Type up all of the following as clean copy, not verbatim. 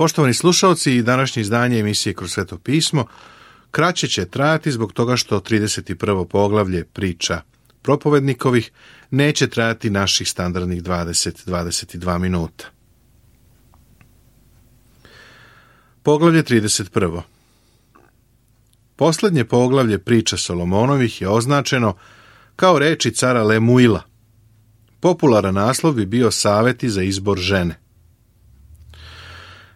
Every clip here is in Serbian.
Poštovani slušalci, današnje izdanje emisije Kroz Sveto pismo kraće će trajati zbog toga što 31. poglavlje priča propovednikovih neće trajati naših standardnih 20-22 minuta. Poglavlje 31. Poslednje poglavlje priča Solomonovih je označeno kao reči cara Lemuila. Popularan naslov bi bio saveti za izbor žene.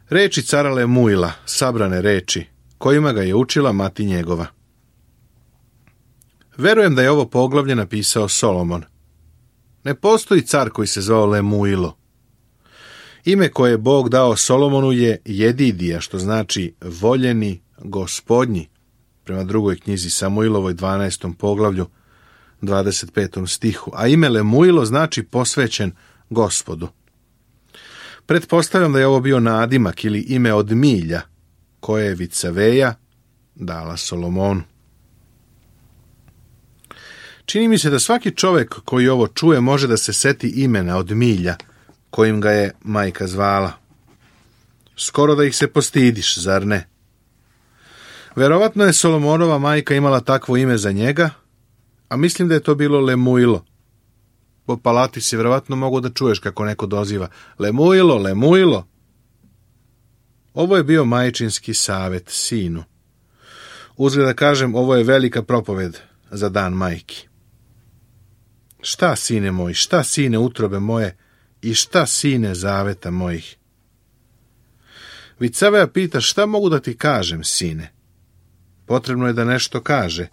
Reči cara Lemuila, sabrane reči, kojima ga je učila mati njegova. Verujem da je ovo poglavlje napisao Solomon. Ne postoji car koji se zvao Lemuilo. Ime koje je Bog dao Solomonu je Jedidija, što znači voljeni gospodnji, prema drugoj knjizi Samuilovoj 12. poglavlju 25. stihu, a ime Lemuilo znači posvećen Gospodu. Pretpostavljam da je ovo bio nadimak ili ime od milja, koje je Vicaveja dala Solomonu. Čini mi se da svaki čovjek koji ovo čuje može da se seti imena od milja, kojim ga je majka zvala. Skoro da ih se postidiš, zar ne? Verovatno je Solomonova majka imala takvo ime za njega, a mislim da je to bilo Lemuilo. Po palati si verovatno mogu da čuješ kako neko doziva Lemuilo, Lemuilo. Ovo je bio majčinski savet sinu. Uzgled da kažem, ovo je velika propoved za dan majki. Šta, sine moj, šta, sine utrobe moje, i šta, sine zaveta mojih? Vicaveja pita, šta mogu da ti kažem, sine? Potrebno je da nešto kaže,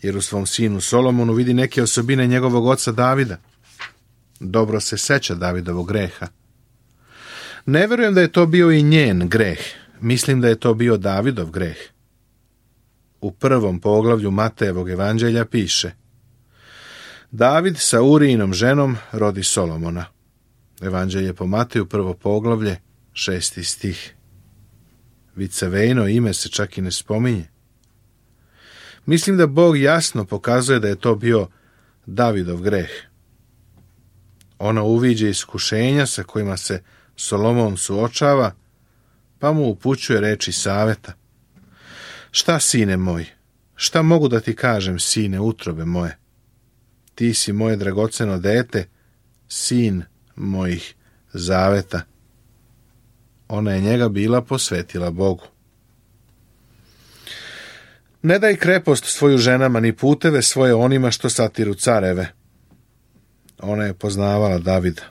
jer u svom sinu Solomonu vidi neke osobine njegovog oca Davida. Dobro se seća Davidovog greha. Ne verujem da je to bio i njen greh. Mislim da je to bio Davidov greh. U 1. poglavlju Matejevog evanđelja piše: David sa Urijinom ženom rodi Solomona. Evanđelje po Mateju, 1. poglavlje, 6. stih. Vicavejno ime se čak i ne spominje. Mislim da Bog jasno pokazuje da je to bio Davidov greh. Ona uviđa iskušenja sa kojima se Solomon suočava, pa mu upućuje reči saveta. Šta, sine moj? Šta mogu da ti kažem, sine utrobe moje? Ti si moje dragoceno dete, sin mojih zaveta. Ona je njega bila posvetila Bogu. Ne daj krepost svoju ženama, ni puteve svoje onima što satiru careve. Ona je poznavala Davida.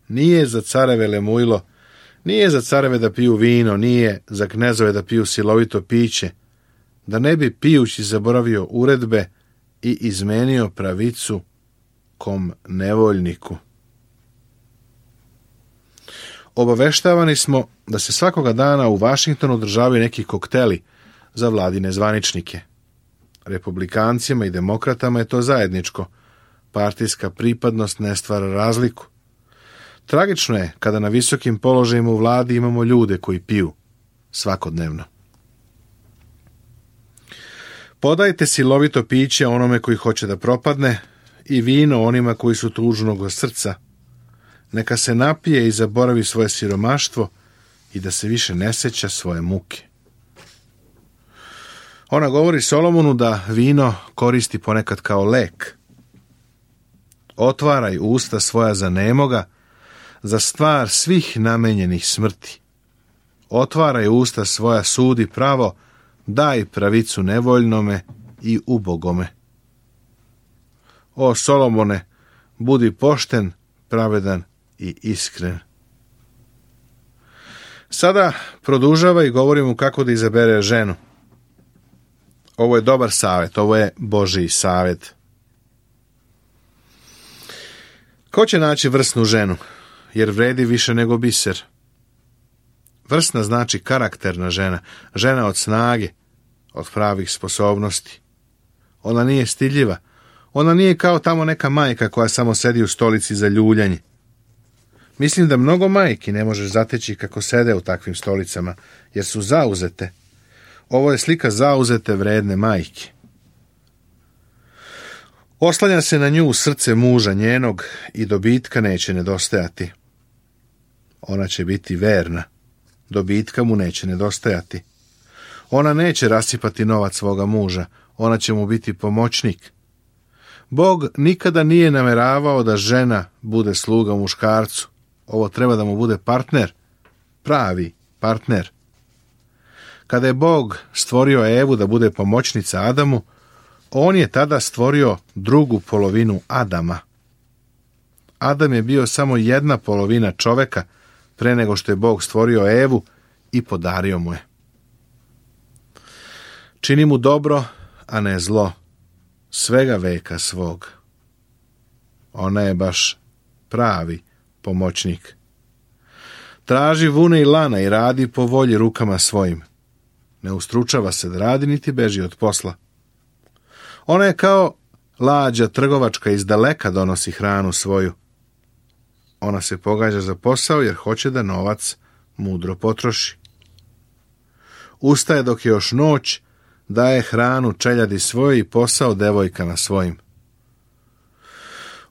Nije za careve Lemuilo, nije za careve da piju vino, nije za knezove da piju silovito piće, da ne bi pijući zaboravio uredbe i izmenio pravicu kom nevoljniku. Obaveštavani smo da se svakoga dana u Vašingtonu održavaju neki kokteli za vladine zvaničnike. Republikancima i demokratama je to zajedničko. Partijska pripadnost ne stvara razliku. Tragično je kada na visokim položajima u vladi imamo ljude koji piju svakodnevno. Podajte silovito piće onome koji hoće da propadne i vino onima koji su tužnog srca. Neka se napije i zaboravi svoje siromaštvo i da se više ne seća svoje muke. Ona govori Solomonu da vino koristi ponekad kao lek. Otvaraj usta svoja za nemoga, za stvar svih namenjenih smrti. Otvaraj usta svoja, sudi pravo, daj pravicu nevoljnome i ubogome. O Solomone, budi pošten, pravedan i iskren. Sada produžava i govori mu kako da izabere ženu. Ovo je dobar savjet, ovo je Božji savjet. Ko će naći vrsnu ženu, jer vredi više nego biser? Vrsna znači karakterna žena, žena od snage, od pravih sposobnosti. Ona nije stidljiva, ona nije kao tamo neka majka koja samo sedi u stolici za ljuljanje. Mislim da mnogo majki ne možeš zateći kako sede u takvim stolicama, jer su zauzete. Ovo je slika zauzete vredne majke. Oslanja se na nju srce muža njenog i dobitka neće nedostajati. Ona će biti verna. dobitka mu neće nedostajati. Ona neće rasipati novac svoga muža, ona će mu biti pomoćnik. Bog nikada nije nameravao da žena bude sluga muškarcu. Ovo treba da mu bude partner, pravi partner. Kada je Bog stvorio Evu da bude pomoćnica Adamu, on je tada stvorio drugu polovinu Adama. Adam je bio samo jedna polovina čoveka pre nego što je Bog stvorio Evu i podario mu je. Čini mu dobro, a ne zlo, svega veka svog. Ona je baš pravi pomoćnik. Traži vune i lana i radi po volji rukama svojim. Ne ustručava se da radi niti beži od posla. Ona je kao lađa trgovačka, iz daleka donosi hranu svoju. Ona se pogađa za posao jer hoće da novac mudro potroši. Ustaje dok je još noć, daje hranu čeljadi svojoj i posao devojkama svojim.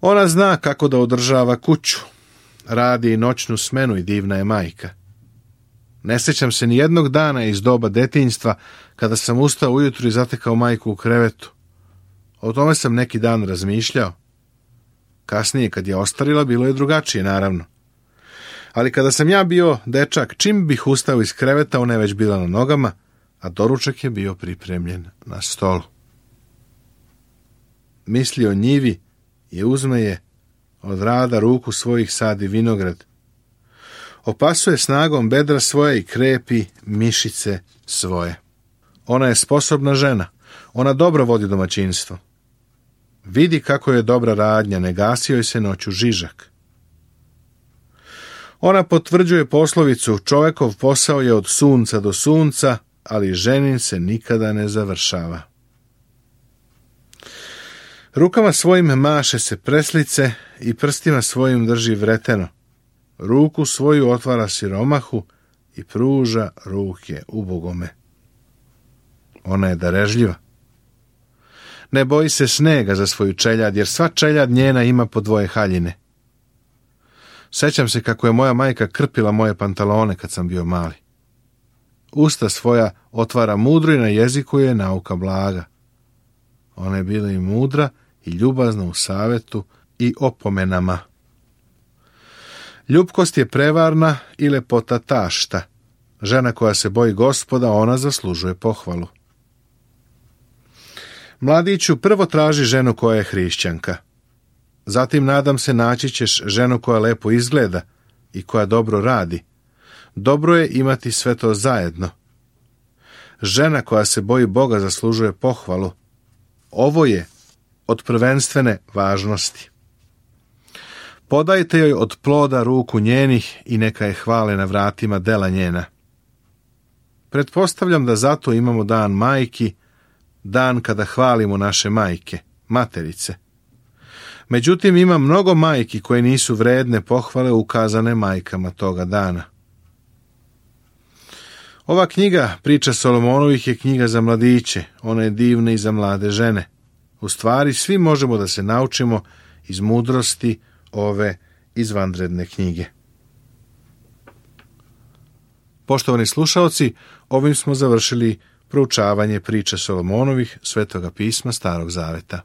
Ona zna kako da održava kuću, radi i noćnu smenu i divna je majka. Ne sjećam se ni jednog dana iz doba detinjstva kada sam ustao ujutru i zatekao majku u krevetu. O tome sam neki dan razmišljao. Kasnije, kad je ostarila, bilo je drugačije, naravno. Ali kada sam ja bio dečak, čim bih ustao iz kreveta, ona je već bila na nogama, a doručak je bio pripremljen na stolu. Misli o njivi i uzme je, od rada ruku svojih sadi vinograd. Opasuje snagom bedra svoje i krepi mišice svoje. Ona je sposobna žena, ona dobro vodi domaćinstvo. Vidi kako je dobra radnja, ne gasi joj se noću žižak. Ona potvrđuje poslovicu, čovekov posao je od sunca do sunca, ali ženin se nikada ne završava. Rukama svojim maše se preslice i prstima svojim drži vreteno. Ruku svoju otvara siromahu i pruža ruke ubogome. Ona je darežljiva. Ne boji se snega za svoju čeljad, jer sva čeljad njena ima po 2 haljine. Sećam se kako je moja majka krpila moje pantalone kad sam bio mali. Usta svoja otvara mudro i na jeziku je nauka blaga. Ona je bila i mudra i ljubazna u savetu i opomenama. Ljubkost je prevarna i lepota tašta. Žena koja se boji Gospoda, ona zaslužuje pohvalu. Mladiću, prvo traži ženu koja je hrišćanka. Zatim, nadam se, naći ćeš ženu koja lepo izgleda i koja dobro radi. Dobro je imati sve to zajedno. Žena koja se boji Boga zaslužuje pohvalu. Ovo je od prvenstvene važnosti. Podajte joj od ploda ruku njenih i neka je hvale na vratima dela njena. Pretpostavljam da zato imamo dan majki, dan kada hvalimo naše majke, materice. Međutim, ima mnogo majki koje nisu vredne pohvale ukazane majkama toga dana. Ova knjiga, priča Solomonovih, je knjiga za mladiće, ona je divna i za mlade žene. U stvari, svi možemo da se naučimo iz mudrosti ove izvanredne knjige. Poštovani slušaoci, ovim smo završili proučavanje priče Solomonovih, Svetoga pisma Starog Zaveta.